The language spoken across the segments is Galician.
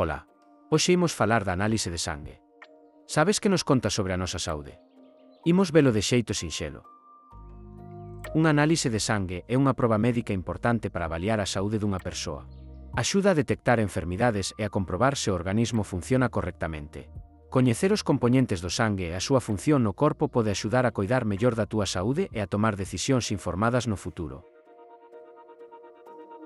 Ola, hoxe imos falar da análise de sangue. Sabes que nos conta sobre a nosa saúde? Imos velo de xeito sinxelo. Unha análise de sangue é unha proba médica importante para avaliar a saúde dunha persoa. Axuda a detectar enfermidades e a comprobar se o organismo funciona correctamente. Coñecer os compoñentes do sangue e a súa función no corpo pode axudar a coidar mellor da túa saúde e a tomar decisións informadas no futuro.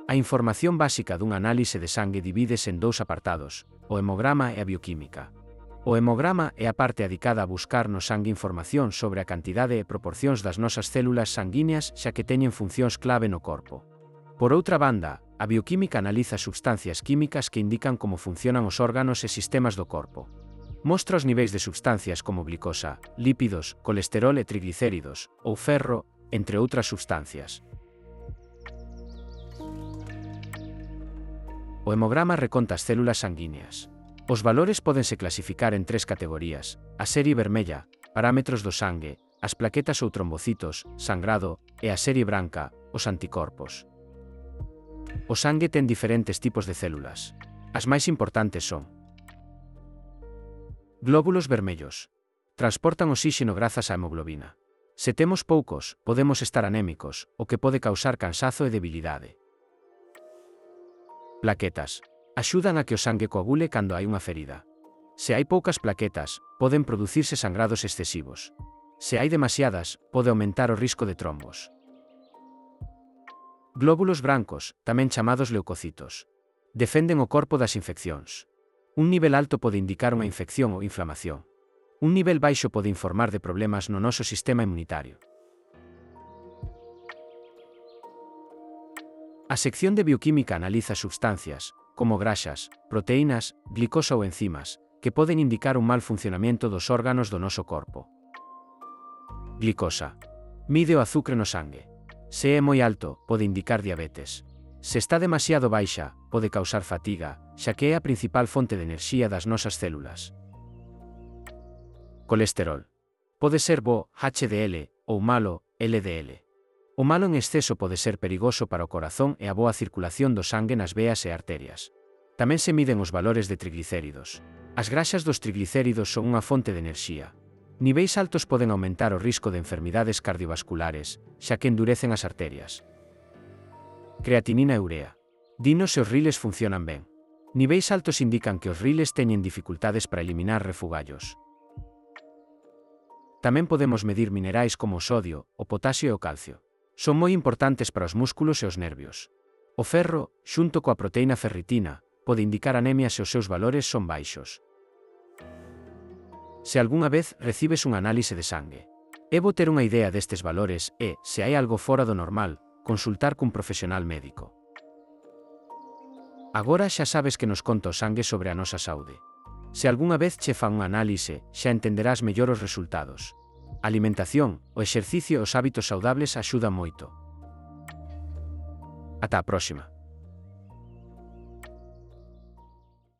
A información básica dunha análise de sangue divídese en dous apartados, o hemograma e a bioquímica. O hemograma é a parte adicada a buscar no sangue información sobre a cantidade e proporcións das nosas células sanguíneas xa que teñen funcións clave no corpo. Por outra banda, a bioquímica analiza substancias químicas que indican como funcionan os órganos e sistemas do corpo. Mostra os niveis de substancias como glicosa, lípidos, colesterol e triglicéridos, ou ferro, entre outras substancias. O hemograma reconta as células sanguíneas. Os valores pódense clasificar en tres categorías: a serie vermella, parámetros do sangue, as plaquetas ou trombocitos, sangrado, e a serie branca, os anticorpos. O sangue ten diferentes tipos de células. As máis importantes son: glóbulos vermellos. Transportan oxíxeno grazas á hemoglobina. Se temos poucos, podemos estar anémicos, o que pode causar cansazo e debilidade. Plaquetas. Axudan a que o sangue coagule cando hai unha ferida. Se hai poucas plaquetas, poden producirse sangrados excesivos. Se hai demasiadas, pode aumentar o risco de trombos. Glóbulos brancos, tamén chamados leucocitos. Defenden o corpo das infeccións. Un nivel alto pode indicar unha infección ou inflamación. Un nivel baixo pode informar de problemas no noso sistema inmunitario. A sección de bioquímica analiza substancias, como graxas, proteínas, glicosa ou enzimas, que poden indicar un mal funcionamento dos órganos do noso corpo. Glicosa. Mide o azucre no sangue. Se é moi alto, pode indicar diabetes. Se está demasiado baixa, pode causar fatiga, xa que é a principal fonte de enerxía das nosas células. Colesterol. Pode ser bo, HDL, ou malo, LDL. O malo en exceso pode ser perigoso para o corazón e a boa circulación do sangue nas veas e arterias. Tamén se miden os valores de triglicéridos. As graxas dos triglicéridos son unha fonte de enerxía. Niveis altos poden aumentar o risco de enfermidades cardiovasculares, xa que endurecen as arterias. Creatinina e urea. Dinos se os riles funcionan ben. Niveis altos indican que os riles teñen dificultades para eliminar refugallos. Tamén podemos medir minerais como o sodio, o potasio e o calcio. Son moi importantes para os músculos e os nervios. O ferro, xunto coa proteína ferritina, pode indicar anemia se os seus valores son baixos. Se algunha vez recibes un análise de sangue, é bo ter unha idea destes valores e, se hai algo fora do normal, consultar cun profesional médico. Agora xa sabes que nos conta o sangue sobre a nosa saúde. Se algunha vez che fan unha análise, xa entenderás mellor os resultados. A alimentación, o exercicio e os hábitos saudables axudan moito. Ata a próxima.